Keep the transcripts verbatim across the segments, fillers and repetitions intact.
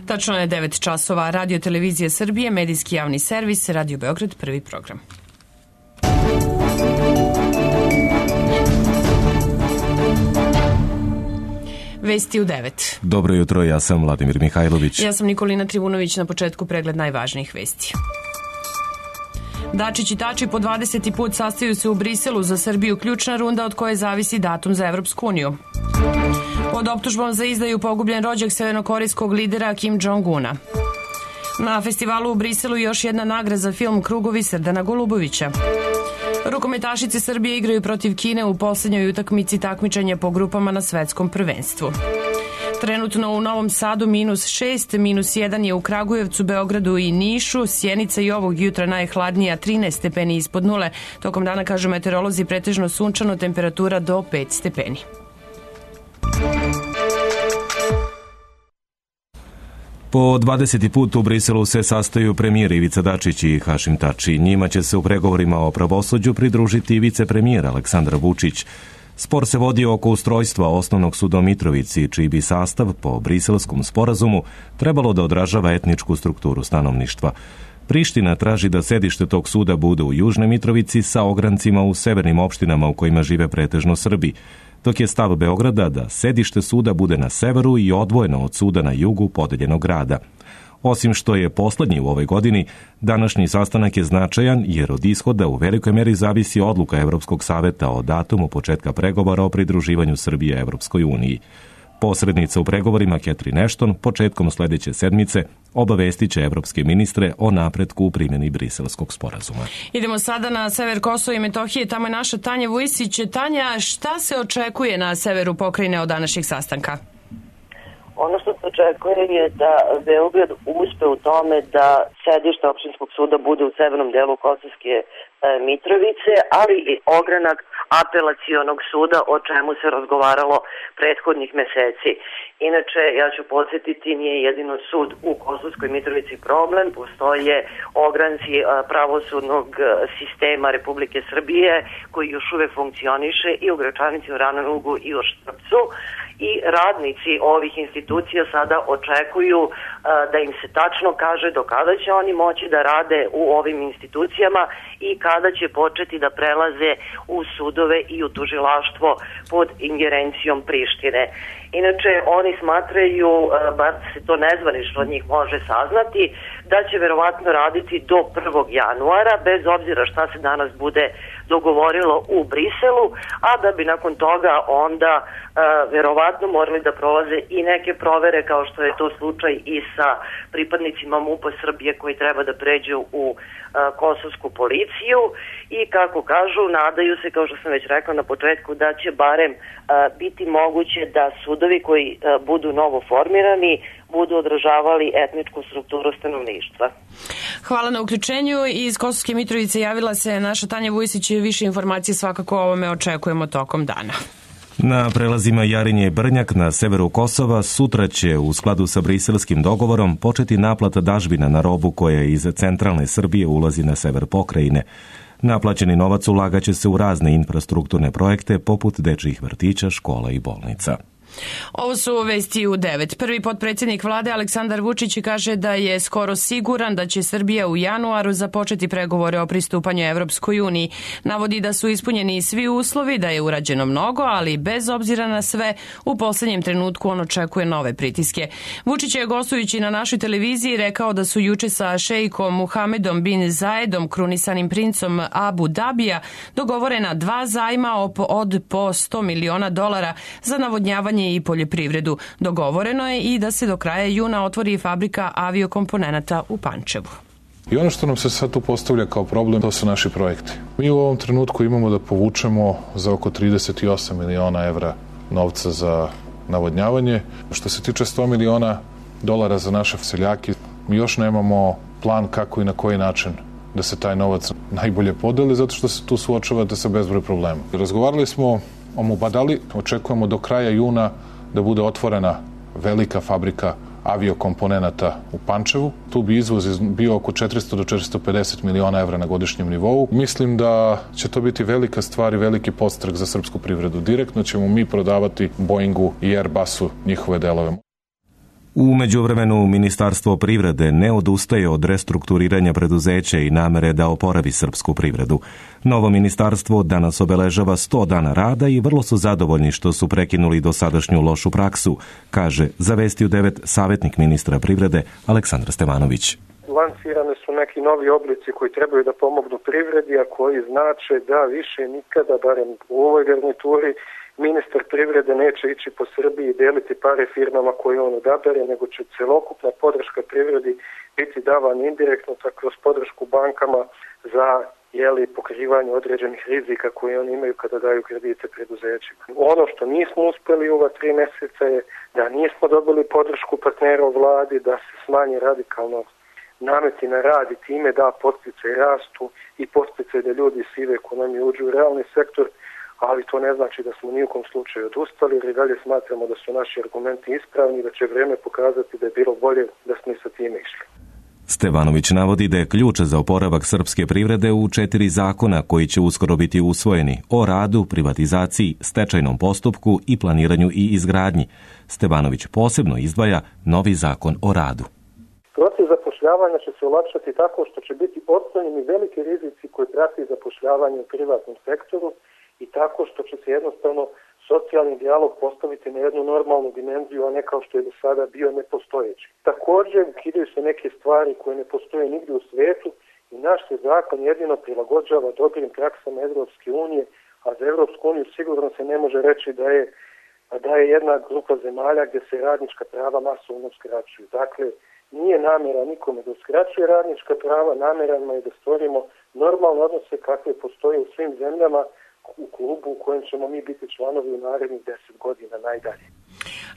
Tačno je devet časova. Radio Televizija Srbije, medijski javni servis, Radio Beograd, prvi program. Vesti u devet. Dobro jutro, ja sam Vladimir Mihajlović. Ja sam Nikolina Trivunović, na početku pregled najvažnijih vesti. Dačić i Tači po dvadeseti put sastaju se u Briselu, za Srbiju ključna runda od koje zavisi datum za Evropsku uniju. Pod optužbom za izdaju pogubljen rođak severnokorejskog lidera Kim Jong-una. Na festivalu u Briselu još jedna nagrada za film Krugovi Srdana Golubovića. Rukometašice Srbije igraju protiv Kine u poslednjoj utakmici takmičenja po grupama na svetskom prvenstvu. Trenutno u Novom Sadu minus šest, minus jedan je u Kragujevcu, Beogradu i Nišu. Sjenica i ovog jutra najhladnija, trinaest stepeni ispod nule. Tokom dana, kažu meteorolozi, pretežno sunčano, temperatura do pet stepeni. Po dvadeseti put u Briselu se sastaju premijer Ivica Dačić i Hašim Tači. Njima će se u pregovorima o pravosuđu pridružiti i vicepremijer Aleksandar Vučić. Spor se vodi oko ustrojstva Osnovnog suda u Mitrovici, čiji bi sastav po briselskom sporazumu trebalo da odražava etničku strukturu stanovništva. Priština traži da sedište tog suda bude u Južnoj Mitrovici sa ograncima u severnim opštinama u kojima žive pretežno Srbi, dok je stav Beograda da sedište suda bude na severu i odvojeno od suda na jugu podeljenog grada. Osim što je poslednji u ovoj godini, današnji sastanak je značajan jer od ishoda u velikoj meri zavisi odluka Evropskog saveta o datumu početka pregovora o pridruživanju Srbije Evropskoj uniji. Posrednica u pregovorima Catherine Ashton početkom sledeće sedmice obavestit će evropske ministre o napretku u primjeni briselskog sporazuma. Idemo sada na sever Kosova i Metohije. Tamo je naša Tanja Vujsić. Tanja, šta se očekuje na severu pokrajine od današnjeg sastanka? Ono što se očekuje je da Beograd uspe u tome da sedište opštinskog suda bude u severnom delu Kosovske Mitrovice, ali i ogranak apelacionog suda, o čemu se razgovaralo prethodnih meseci. Inače, ja ću podsjetiti, nije jedino sud u Kosovskoj Mitrovici problem, postoje ogranci pravosudnog sistema Republike Srbije koji još uvek funkcioniše i u Gračanici, u Ranom Lugu i u Štrpcu. I radnici ovih institucija sada očekuju uh, da im se tačno kaže do kada će oni moći da rade u ovim institucijama i kada će početi da prelaze u sudove i u tužilaštvo pod ingerencijom Prištine. Inače, oni smatraju, uh, bar se to nezvanično od njih može saznati, da će verovatno raditi do prvog januara, bez obzira šta se danas bude dogovorilo u Briselu, a da bi nakon toga onda uh, verovatno morali da prolaze i neke provere, kao što je to slučaj i sa pripadnicima MUP-a Srbije koji treba da pređu u uh, kosovsku policiju i kako kažu, nadaju se, kao što sam već rekla na početku, da će barem uh, biti moguće da sudovi koji uh, budu novo formirani budu odražavali etničku strukturu stanovništva. Hvala na uključenju. Iz Kosovske Mitrovice javila se naša Tanja Vujsić. Više informacije svakako o ovome očekujemo tokom dana. Na prelazima Jarinje i Brnjak na severu Kosova sutra će u skladu sa briselskim dogovorom početi naplata dažbina na robu koja iz centralne Srbije ulazi na sever pokrajine. Naplaćeni novac ulagaće se u razne infrastrukturne projekte poput dečjih vrtića, škola i bolnica. Ovo su vesti u devet. Prvi potpredsjednik vlade Aleksandar Vučić kaže da je skoro siguran da će Srbija u januaru započeti pregovore o pristupanju Evropskoj uniji. Navodi da su ispunjeni svi uslovi, da je urađeno mnogo, ali bez obzira na sve, u poslednjem trenutku on očekuje nove pritiske. Vučić je gostujući na našoj televiziji rekao da su juče sa šejkom Muhamedom bin Zaedom, krunisanim princom Abu Dabija, dogovorena dva zajma od po sto miliona dolara za navodnjavanje i poljoprivredu. Dogovoreno je i da se do kraja juna otvori fabrika aviokomponenata u Pančevu. I ono što nam se sad tu postavlja kao problem, to su naši projekti. Mi u ovom trenutku imamo da povučemo za oko trideset osam miliona evra novca za navodnjavanje. Što se tiče sto miliona dolara za naše seljake, mi još nemamo plan kako i na koji način da se taj novac najbolje podeli, zato što se tu suočavate sa bezbroj problema. Razgovarali smo o Mubadali, očekujemo do kraja juna da bude otvorena velika fabrika aviokomponenata u Pančevu. Tu bi izvoz bio oko četiristo do četiristo pedeset miliona evra na godišnjem nivou. Mislim da će to biti velika stvar i veliki podstrek za srpsku privredu. Direktno ćemo mi prodavati Boeingu i Airbusu njihove delove. U međuvremenu Ministarstvo privrede ne odustaje od restrukturiranja preduzeća i namere da oporavi srpsku privredu. Novo ministarstvo danas obeležava sto dana rada i vrlo su zadovoljni što su prekinuli dosadašnju lošu praksu, kaže za Vesti u devet savjetnik ministra privrede Aleksandar Stevanović. Lansirane su neki novi oblici koji trebaju da pomognu privredi, a koji znače da više nikada, barem u ovoj garnituri, ministar privrede neće ići po Srbiji i deliti pare firmama koje on odabere, nego će celokupna podrška privredi biti davana indirektno, tako kroz podršku bankama za jeli, pokrivanje određenih rizika koje oni imaju kada daju kredite preduzećima. Ono što nismo uspeli u ova tri meseca je da nismo dobili podršku partnera u vladi, da se smanji radikalno nameti na rad i time da podsticaj rastu i podsticaj da ljudi iz sive ekonomije uđu u realni sektor, ali to ne znači da smo ni u kom slučaju odustali, jer i dalje smatramo da su naši argumenti ispravni i da će vreme pokazati da je bilo bolje da smo i sa time išli. Stevanović navodi da je ključ za oporavak srpske privrede u četiri zakona koji će uskoro biti usvojeni: o radu, privatizaciji, stečajnom postupku i planiranju i izgradnji. Stevanović posebno izdvaja novi zakon o radu. Proces zapošljavanja će se olakšati tako što će biti otklonjeni veliki rizici koji prati zapošljavanje u privatnom sektoru i tako što će se jednostavno socijalni dijalog postaviti na jednu normalnu dimenziju, a ne kao što je do sada bio nepostojeći. Također ukidaju se neke stvari koje ne postoje nigdje u svijetu i naš se zakon jedino prilagođava dobrim praksama Evropske unije, a za Evropsku uniju sigurno se ne može reći da je, da je jedna grupa zemalja gdje se radnička prava masovno uskraćuju. Dakle, nije namjera nikome da uskraćuje radnička prava, namjera je da stvorimo normalne odnose kakve postoje u svim zemljama u klubu u kojem ćemo mi biti članovi u narednih deset godina najdalje.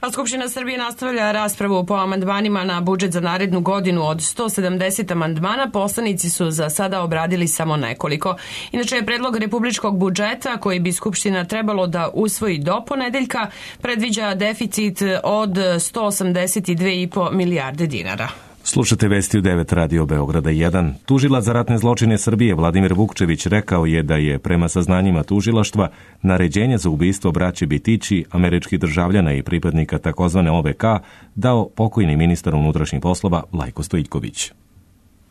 A Skupština Srbije nastavlja raspravu po amandmanima na budžet za narednu godinu. Od sto sedamdeset amandmana poslanici su za sada obradili samo nekoliko. Inače je predlog republičkog budžeta koji bi Skupština trebalo da usvoji do ponedeljka predviđa deficit od sto osamdeset dve i po milijarde dinara. Slušate Vesti u devet Radio Beograda jedan. Tužilac za ratne zločine Srbije Vladimir Vukčević rekao je da je prema saznanjima tužilaštva naređenje za ubistvo braće Bitići, američkih državljana i pripadnika takozvane O V K, dao pokojni ministar unutrašnjih poslova Lajko Stojiljković.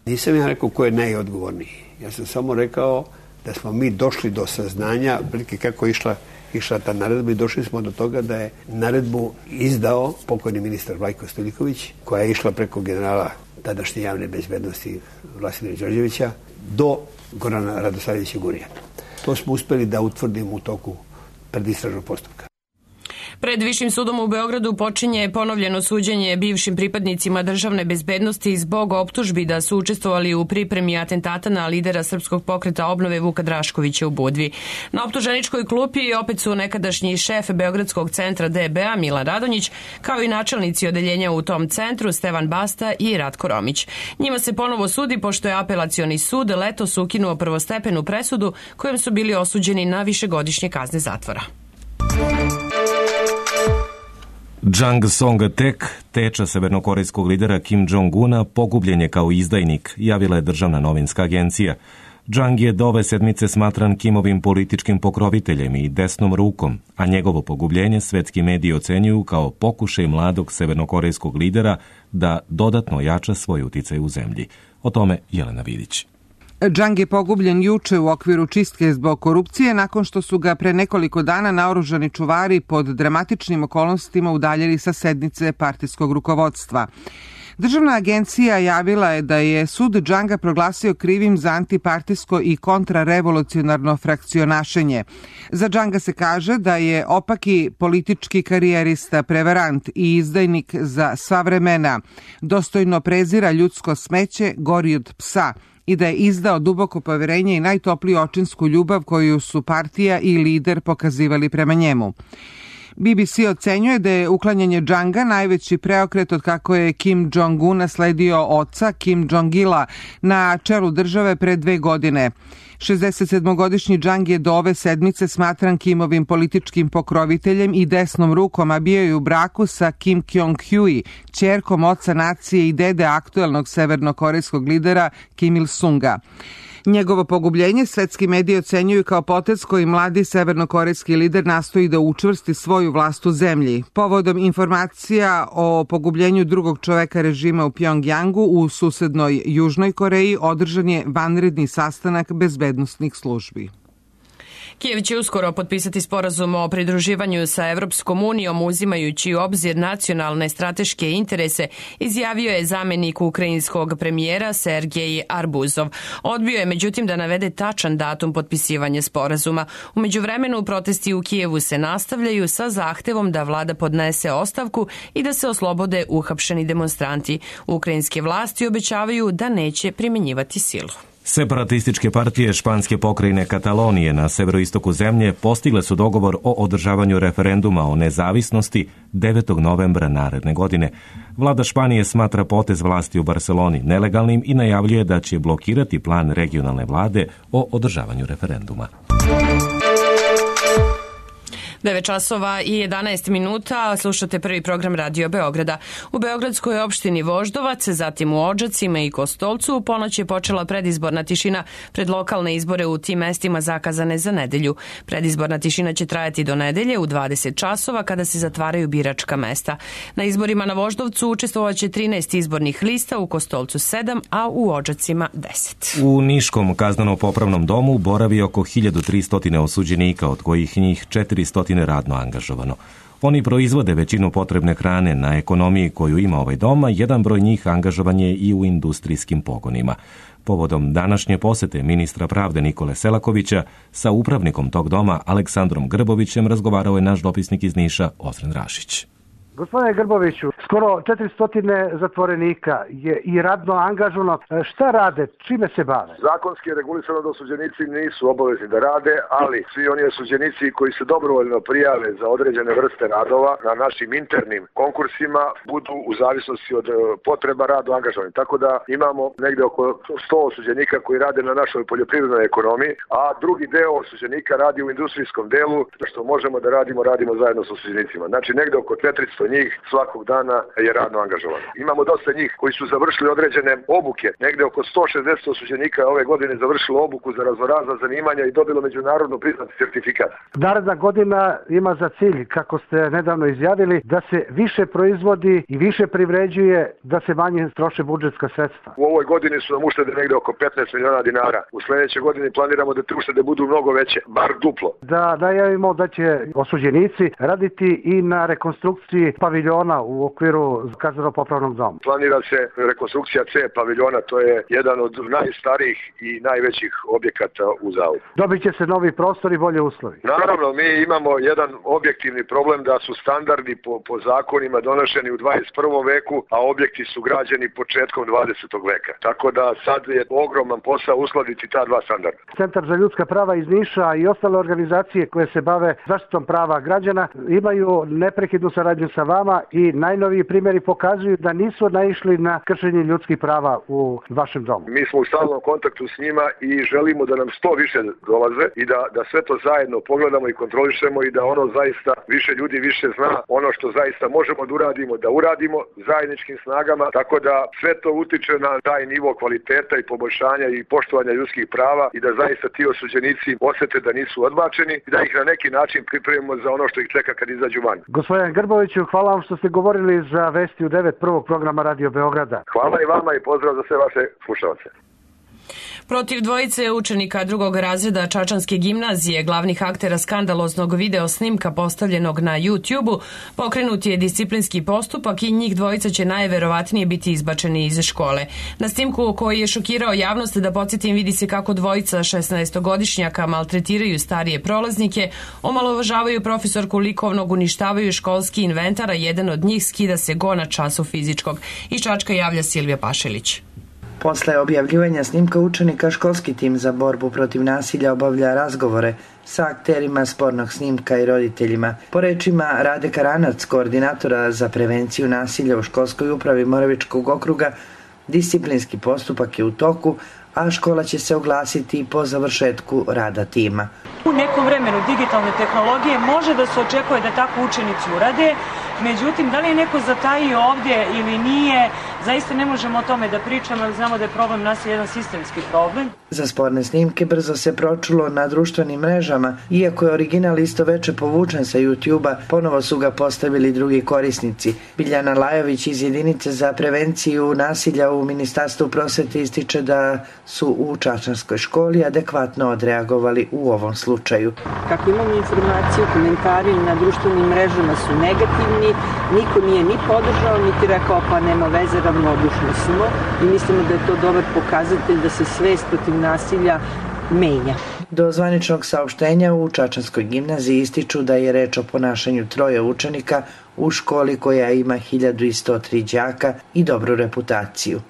Nisam ja rekao ko je najodgovorniji. Ja sam samo rekao da smo mi došli do saznanja prilike kako je išla išla ta naredba i došli smo do toga da je naredbu izdao pokojni ministar Lajko Stojiljković, koja je išla preko generala tadašnje javne bezbednosti Vladimira Đorđevića do Gorana Radosavljevića Gurija. To smo uspeli da utvrdimo u toku predistražnog postupka. Pred Višim sudom u Beogradu počinje ponovljeno suđenje bivšim pripadnicima državne bezbednosti zbog optužbi da su učestvovali u pripremi atentata na lidera Srpskog pokreta obnove Vuka Draškovića u Budvi. Na optuženičkoj klupi opet su nekadašnji šef Beogradskog centra D B A Milan Radonjić, kao i načelnici odeljenja u tom centru Stevan Basta i Ratko Romić. Njima se ponovo sudi pošto je apelacioni sud letos ukinuo prvostepenu presudu kojom su bili osuđeni na višegodišnje kazne zatvora. Jang Song-tek, teča severnokorejskog lidera Kim Jong-una, pogubljen je kao izdajnik, javila je državna novinska agencija. Jang je do ove sedmice smatran Kimovim političkim pokroviteljem i desnom rukom, a njegovo pogubljenje svetski mediji ocenjuju kao pokušaj mladog severnokorejskog lidera da dodatno jača svoj uticaj u zemlji. O tome Jelena Vidić. Jang je pogubljen juče u okviru čistke zbog korupcije nakon što su ga pre nekoliko dana naoružani čuvari pod dramatičnim okolnostima udaljili sa sednice partijskog rukovodstva. Državna agencija javila je da je sud Janga proglasio krivim za antipartijsko i kontrarevolucionarno frakcionašenje. Za Janga se kaže da je opaki politički karijerista, prevarant i izdajnik za sva vremena, dostojno prezira ljudsko smeće, gori od psa, i da je izdao duboko poverenje i najtopliju očinsku ljubav koju su partija i lider pokazivali prema njemu. B B C ocenjuje da je uklanjanje Janga najveći preokret od kako je Kim Jong-un nasledio oca Kim Jong-ila na čelu države pre dve godine. šezdesetsedmogodišnji Jang je do ove sedmice smatran Kimovim političkim pokroviteljem i desnom rukom, a bio je u braku sa Kim Kyong-hui, ćerkom oca nacije i dede aktuelnog severnokorejskog lidera Kim Il-sunga. Njegovo pogubljenje svetski mediji ocenjuju kao potez koji mladi severnokorejski lider nastoji da učvrsti svoju vlast u zemlji. Povodom informacija o pogubljenju drugog čoveka režima u Pjongjangu u susednoj Južnoj Koreji održan je vanredni sastanak bezbednosnih službi. Kijev će uskoro potpisati sporazum o pridruživanju sa Evropskom unijom uzimajući u obzir nacionalne strateške interese, izjavio je zamenik ukrajinskog premijera Sergej Arbuzov. Odbio je međutim da navede tačan datum potpisivanja sporazuma. U međuvremenu protesti u Kijevu se nastavljaju sa zahtevom da vlada podnese ostavku i da se oslobode uhapšeni demonstranti. Ukrajinske vlasti obećavaju da neće primjenjivati silu. Separatističke partije španske pokrajine Katalonije na severoistoku zemlje postigle su dogovor o održavanju referenduma o nezavisnosti devetog novembra naredne godine. Vlada Španije smatra potez vlasti u Barceloni nelegalnim i najavljuje da će blokirati plan regionalne vlade o održavanju referenduma. devet časova i jedanaest minuta, slušate prvi program Radio Beograda. U beogradskoj opštini Voždovac, zatim u Odžacima i Kostolcu, u ponoć je počela predizborna tišina pred lokalne izbore u tim mestima zakazane za nedelju. Predizborna tišina će trajati do nedelje u dvadeset časova kada se zatvaraju biračka mesta. Na izborima na Voždovcu učestvovaće trinaest izbornih lista, u Kostolcu sedam, a u Odžacima deset. U Niškom kazneno-popravnom domu boravi oko hiljadu tristo osuđenika, od kojih njih četiristo radno angažovano. Oni proizvode većinu potrebne hrane na ekonomiji koju ima ovaj dom, a jedan broj njih angažovan je i u industrijskim pogonima. Povodom današnje posete ministra pravde Nikole Selakovića sa upravnikom tog doma Aleksandrom Grbovićem razgovarao je naš dopisnik iz Niša Osren Rašić. Gospodine Grboviću, skoro četiristo zatvorenika je i radno angažovano. Šta rade? Čime se bave? Zakonski je regulisano da osuđenici nisu obavezni da rade, ali svi oni osuđenici koji se dobrovoljno prijave za određene vrste radova na našim internim konkursima budu u zavisnosti od potreba rado angažovani. Tako da imamo negde oko sto osuđenika koji rade na našoj poljoprivrednoj ekonomiji, a drugi deo osuđenika radi u industrijskom delu, što možemo da radimo, radimo zajedno sa osuđenicima. Znači negde oko četiristo njih svakog dana je radno angažovano. Imamo dosta njih koji su završili određene obuke. Negde oko sto šezdeset osuđenika ove godine završilo obuku za raznorazna zanimanja i dobilo međunarodno priznati certifikat. Naredna godina ima za cilj, kako ste nedavno izjavili, da se više proizvodi i više privređuje, da se manje troše budžetska sredstva. U ovoj godini su nam uštede negde oko petnaest miliona dinara. U sledećoj godini planiramo da te uštede budu mnogo veće, bar duplo. Da najavimo da će osuđenici raditi i na rekonstrukciji paviljona u okviru kazneno-popravnog doma. Planira se rekonstrukcija C paviljona, to je jedan od najstarijih i najvećih objekata u zavodu. Dobit će se novi prostor i bolje uslovi. Naravno, mi imamo jedan objektivni problem da su standardi po, po zakonima donošeni u dvadeset prvom veku, a objekti su građeni početkom dvadesetog veka. Tako da sad je ogroman posao uskladiti ta dva standarda. Centar za ljudska prava iz Niša i ostale organizacije koje se bave zaštitom prava građana imaju neprekidnu saradnju sa vama i najnoviji primjeri pokazuju da nisu naišli na kršenje ljudskih prava u vašem domu. Mi smo u stalnom kontaktu s njima i želimo da nam što više dolaze i da, da sve to zajedno pogledamo i kontrolišemo i da ono zaista više ljudi više zna ono što zaista možemo da uradimo, da uradimo zajedničkim snagama, tako da sve to utiče na taj nivo kvaliteta i poboljšanja i poštovanja ljudskih prava i da zaista ti osuđenici osete da nisu odbačeni i da ih na neki način pripremimo za ono što ih čeka kad izađu van. Gospodin Grboviću, hvala vam što ste govorili za Vesti u devet prvog programa Radio Beograda. Hvala i vama i pozdrav za sve vaše slušalce. Protiv dvojice učenika drugog razreda Čačanske gimnazije, glavnih aktera skandaloznog video snimka postavljenog na YouTube-u, pokrenut je disciplinski postupak i njih dvojica će najverovatnije biti izbačeni iz škole. Na snimku koji je šokirao javnost, da podsjetim, vidi se kako dvojica šesnaestogodišnjaka maltretiraju starije prolaznike, omalovažavaju profesorku likovnog, uništavaju školski inventar, a jedan od njih skida se go na času fizičkog. Iz Čačka javlja Silvija Pašelić. Posle objavljivanja snimka učenika, školski tim za borbu protiv nasilja obavlja razgovore sa akterima spornog snimka i roditeljima. Po rečima Rade Karanac, koordinatora za prevenciju nasilja u školskoj upravi Moravičkog okruga, disciplinski postupak je u toku, a škola će se oglasiti po završetku rada tima. U nekom vremenu digitalne tehnologije može da se očekuje da tako učenici urade, međutim, da li je neko zatajio ovdje ili nije, Zaista ne možemo o tome da pričamo, ali znamo da je problem nasilja jedan sistemski problem. Za sporne snimke brzo se pročulo na društvenim mrežama. Iako je original isto veče povučen sa YouTube-a, ponovo su ga postavili drugi korisnici. Biljana Lajović iz jedinice za prevenciju nasilja u Ministarstvu prosvete ističe da su u Čačanskoj školi adekvatno odreagovali u ovom slučaju. Kako imamo informaciju, komentari na društvenim mrežama su negativni, niko nije ni podržao, niti rekao pa nema veze, ravnodušni smo i mislimo da je to dobar pokazatelj da se svest protiv nasilja menja. Do zvaničnog saopštenja u Čačanskoj gimnaziji ističu da je reč o ponašanju troje učenika u školi koja ima hiljadu sto tri đaka i dobru reputaciju.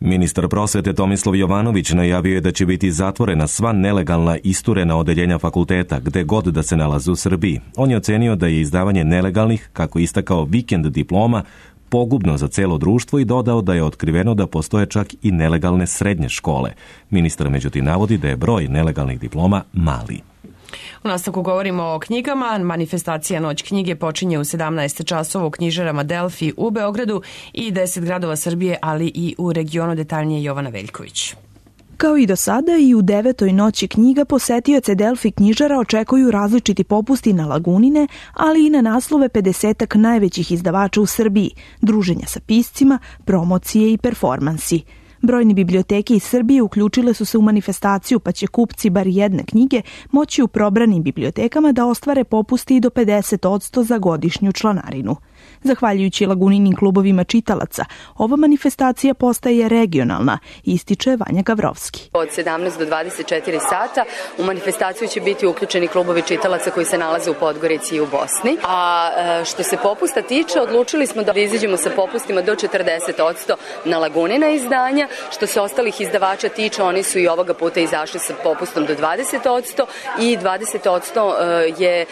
Ministar prosvete Tomislav Jovanović najavio je da će biti zatvorena sva nelegalna isturena odeljenja fakulteta, gde god da se nalaze u Srbiji. On je ocenio da je izdavanje nelegalnih, kako istakao vikend diploma, pogubno za celo društvo i dodao da je otkriveno da postoje čak i nelegalne srednje škole. Ministar međutim navodi da je broj nelegalnih diploma mali. U nastavku govorimo o knjigama. Manifestacija Noć knjige počinje u sedamnaest časova u knjižarama Delfi u Beogradu i deset gradova Srbije, ali i u regionu. Detaljnije Jovana Veljković. Kao i do sada, i u devetoj noći knjiga posetioce Delfi knjižara očekuju različiti popusti na Lagunine, ali i na naslove pedesetak najvećih izdavača u Srbiji, druženja sa piscima, promocije i performansi. Brojne biblioteke iz Srbije uključile su se u manifestaciju, pa će kupci bar jedne knjige moći u probranim bibliotekama da ostvare popusti i do pedeset posto za godišnju članarinu. Zahvaljujući Laguninim klubovima čitalaca, ova manifestacija postaje regionalna, ističe Vanja Gavrovski. Od sedamnaest do dvadeset četiri sata u manifestaciju će biti uključeni klubovi čitalaca koji se nalaze u Podgorici i u Bosni. A što se popusta tiče, odlučili smo da izađemo sa popustima do četrdeset posto na Lagunina izdanja. Što se ostalih izdavača tiče, oni su i ovoga puta izašli sa popustom do dvadeset posto i dvadeset posto je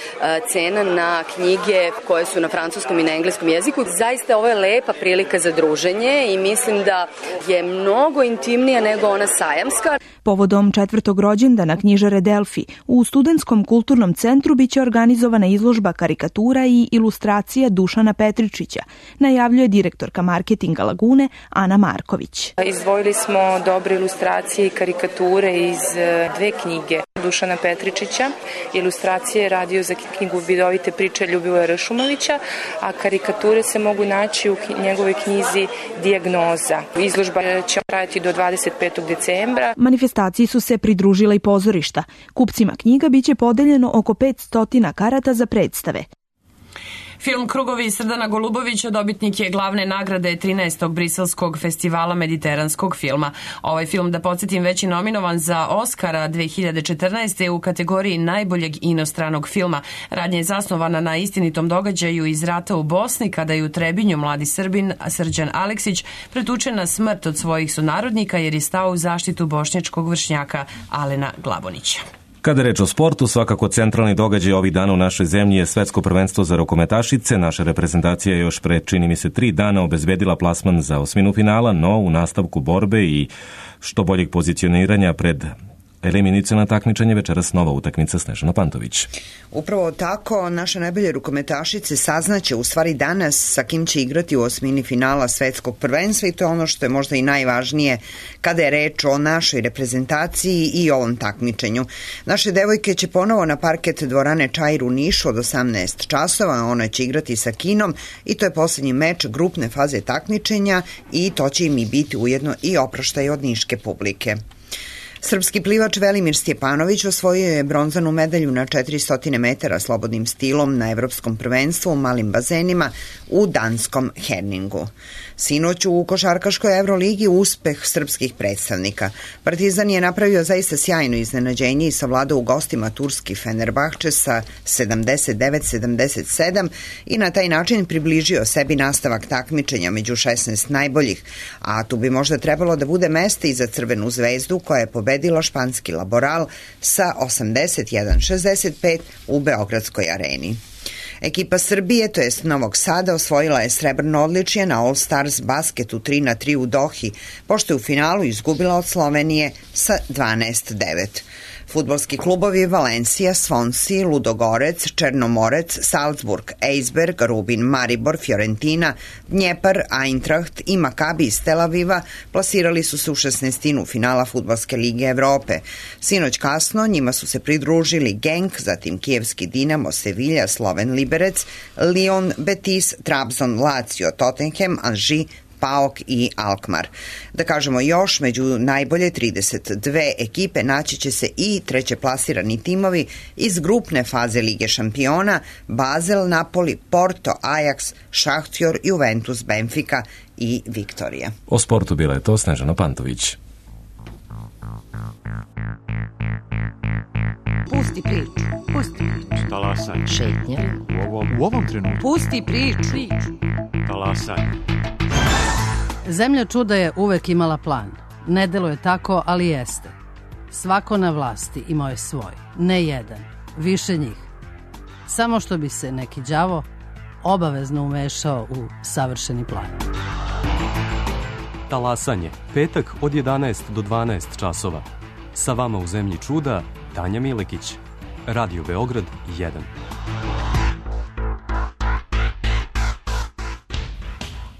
cena na knjige koje su na francuskom i na engleskom jeziku. Zaista ovo je lepa prilika za druženje i mislim da je mnogo intimnija nego ona sajamska. Povodom četvrtog rođendana knjižare Delfi u Studentskom kulturnom centru biće organizovana izložba karikatura i ilustracija Dušana Petričića, najavljuje direktorka marketinga Lagune Ana Marković. Izdvojili smo dobre ilustracije i karikature iz dve knjige Dušana Petričića. Ilustracije je radio za knjigu Vidovite priče Ljubivoja Ršumovića, a karikature se mogu naći u njegovoj knjizi Dijagnoza. Izložba će trajati do dvadeset petog decembra. Manifestaciji su se pridružila i pozorišta. Kupcima knjiga biće podeljeno oko petsto karata za predstave. Film Krugovi Srdana Golubovića dobitnik je glavne nagrade trinaestog briselskog festivala mediteranskog filma. Ovaj film, da podsjetim, već je nominovan za Oskara dve hiljade četrnaeste. u kategoriji najboljeg inostranog filma. Radnja je zasnovana na istinitom događaju iz rata u Bosni, kada je u Trebinju mladi Srbin Srđan Aleksić pretučen na smrt od svojih sunarodnika jer je stao u zaštitu bošnjačkog vršnjaka Alena Glabonića. Kada je reč o sportu, svakako centralni događaj ovih dana u našoj zemlji je svetsko prvenstvo za rukometašice. Naša reprezentacija je još pre, čini mi se, tri dana obezbedila plasman za osminu finala, no u nastavku borbe i što boljeg pozicioniranja pred eliminaciono takmičenje večeras nova utakmica Snežana Pantović. Upravo tako, naše najbolje rukometašice saznaće u stvari danas sa kim će igrati u osmini finala svetskog prvenstva i to je ono što je možda i najvažnije kada je reč o našoj reprezentaciji i ovom takmičenju. Naše devojke će ponovo na parket dvorane Čair u Nišu od osamnaest časova, ona će igrati sa Kinom i to je poslednji meč grupne faze takmičenja i to će im i biti ujedno i oproštaj od niške publike. Srpski plivač Velimir Stjepanović osvojio je bronzanu medalju na četiristo metara slobodnim stilom na evropskom prvenstvu u malim bazenima u danskom Herningu. Sinoć u košarkaškoj Evroligi uspeh srpskih predstavnika. Partizan je napravio zaista sjajno iznenađenje i savladao u gostima turski Fenerbahče sa sedamdeset devet sedamdeset sedam i na taj način približio sebi nastavak takmičenja među šesnaest najboljih, a tu bi možda trebalo da bude mesta i za Crvenu zvezdu koja je pobedila španski Laboral sa osamdeset jedan šezdeset pet u Beogradskoj areni. Ekipa Srbije, to jest Novog Sada, osvojila je srebrno odličje na All Stars basketu tri na tri u Dohi, pošto je u finalu izgubila od Slovenije sa dvanaest devet. Fudbalski klubovi Valencija, Swansea, Ludogorec, Černomorec, Salzburg, Eisberg, Rubin, Maribor, Fiorentina, Dnjepar, Eintracht i Makabi iz Tel Aviva plasirali su se u šesnaestinu finala Fudbalske lige Evrope. Sinoć kasno njima su se pridružili Genk, zatim Kijevski Dinamo, Sevilla, Sloven Liberec, Lyon, Betis, Trabzon, Lazio, Tottenham, Anži, Paok i Alkmaar. Da kažemo još, među najbolje trideset dve ekipe naći će se i treće plasirani timovi iz grupne faze Lige šampiona: Basel, Napoli, Porto, Ajax, Šahtjor, Juventus, Benfica i Viktorija. O sportu bila je to Snežana Pantović. Pusti priču, pusti priču. Talasaj. Šetnja. U ovom, u ovom trenutku. Pusti priču. Talasaj. Zemlja čuda je uvek imala plan. Ne deluje tako, ali jeste. Svako na vlasti imao je svoj. Ne jedan, više njih. Samo što bi se neki đavo obavezno umešao u savršeni plan. Talasanje, petak od jedanaest do dvanaest časova. Sa vama u Zemlji čuda, Tanja Milekić. Radio Beograd jedan.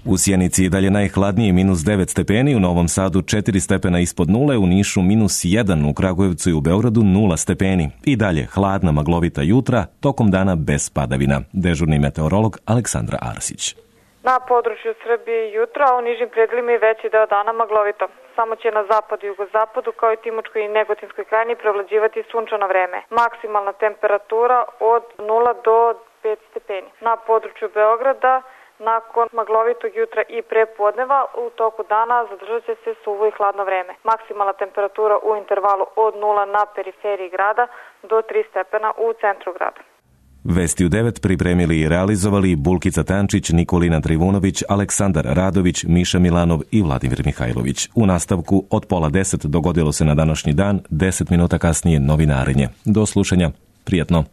U Sjenici je dalje najhladnije, minus devet stepeni, u Novom Sadu četiri stepena ispod nule, u Nišu minus jedan, u Kragujevcu i u Beogradu nula stepeni. I dalje hladna maglovita jutra, tokom dana bez padavina. Dežurni meteorolog Aleksandra Arsić. Na području Srbije jutra, a u nižim predelima i veći deo dana maglovito. Samo će na zapadu i jugozapadu, kao i Timočkoj i Negotinskoj krajini, prevlađivati sunčano vreme. Maksimalna temperatura od nula do pet stepeni. Na području Beograda, nakon maglovitog jutra i prepodneva, u toku dana zadržat će se suvo i hladno vreme. Maksimalna temperatura u intervalu od nula na periferiji grada do tri stepena u centru grada. Vesti u devet pripremili i realizovali Bulkica Tančić, Nikolina Trivunović, Aleksandar Radović, Miša Milanov i Vladimir Mihajlović. U nastavku od pola deset dogodilo se na današnji dan, deset minuta kasnije novinarenje. Do slušanja, prijatno.